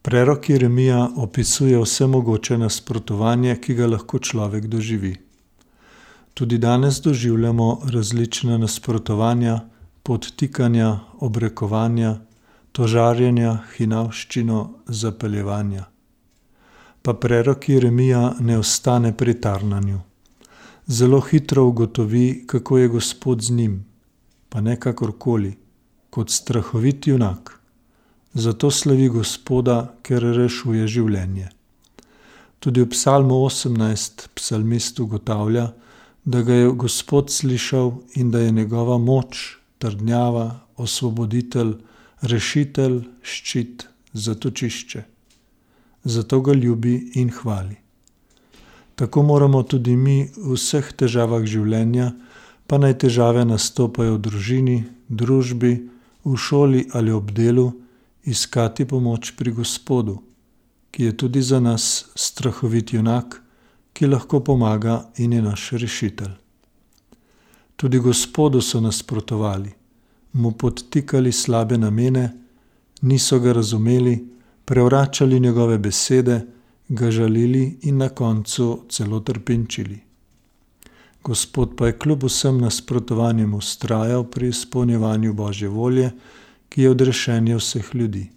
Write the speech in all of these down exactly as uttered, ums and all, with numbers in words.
Prerok Jeremija opisuje vsemogoče nasprotovanje, ki ga lahko človek doživi. Tudi danes doživljamo različna nasprotovanja, podtikanja, obrekovanja, tožarjenja, hinavščino, zapeljevanja. Pa prerok Jeremija ne ostane pri tarnanju. Zelo hitro ugotovi, kako je Gospod z njim, pa ne kakorkoli, kot strahovit junak. Zato slavi Gospoda, ker rešuje življenje. Tudi v psalmu osemnajst psalmist ugotavlja, da ga je Gospod slišal in da je njegova moč, trdnjava, osvoboditelj, rešitelj, ščit, zatočišče. Zato ga ljubi in hvali. Tako moramo tudi mi v vseh težavah življenja, pa naj težave nastopajo v družini, družbi, v šoli ali ob delu, iskati pomoč pri Gospodu, ki je tudi za nas strahovit junak, ki lahko pomaga in je naš rešitelj. Tudi Gospodu so nasprotovali, mu podtikali slabe namene, niso ga razumeli, prevračali njegove besede, ga žalili in na koncu celo trpinčili. Gospod pa je kljub vsem nasprotovanjem vztrajal pri izpolnjevanju Božje volje, ki je odrešenje vseh ljudi.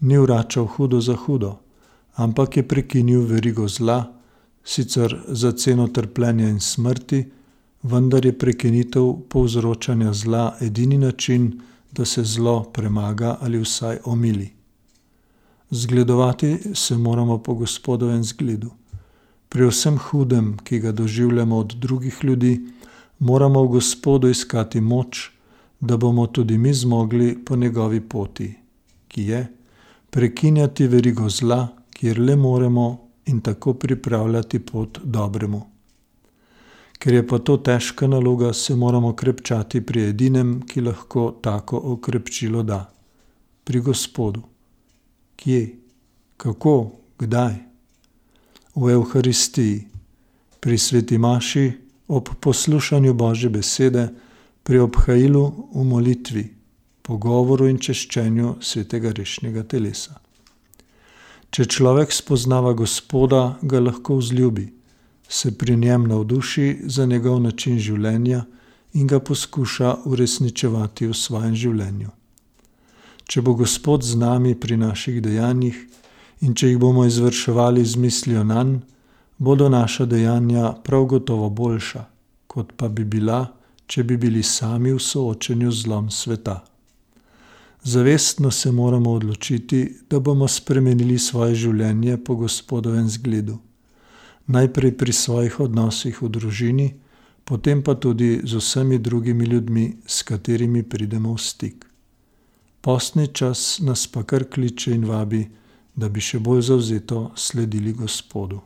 Ni vračal hudo za hudo, ampak je prekinil verigo zla, sicer za ceno trpljenja in smrti, vendar je prekinitev povzročanja zla edini način, da se zlo premaga ali vsaj omili. Zgledovati se moramo po Gospodovem zgledu. Pri vsem hudem, ki ga doživljamo od drugih ljudi, moramo v Gospodu iskati moč, da bomo tudi mi zmogli po njegovi poti, ki je prekinjati verigo zla, kjer le moremo, in tako pripravljati pot dobremu. Ker je pa to težka naloga, se moramo krepčati pri edinem, ki lahko tako okrepčilo da. Pri Gospodu. Kje? Kako? Kdaj? V Evharistiji, pri sveti maši, ob poslušanju Božje besede, pri obhajilu v molitvi, pogovoru in češčenju svetega rešnjega telesa. Če človek spoznava Gospoda, ga lahko vzljubi, se pri njem navduši za njegov način življenja in ga poskuša uresničevati v svojem življenju. Če bo Gospod z nami pri naših dejanjih in če jih bomo izvrševali z mislijo nanj, bodo naša dejanja prav gotovo boljša, kot pa bi bila, če bi bili sami v soočenju z zlom sveta. Zavestno se moramo odločiti, da bomo spremenili svoje življenje po Gospodovem zgledu. Najprej pri svojih odnosih v družini, potem pa tudi z vsemi drugimi ljudmi, s katerimi pridemo v stik. Postni čas nas pa kar kliče in vabi, da bi še bolj zavzeto sledili Gospodu.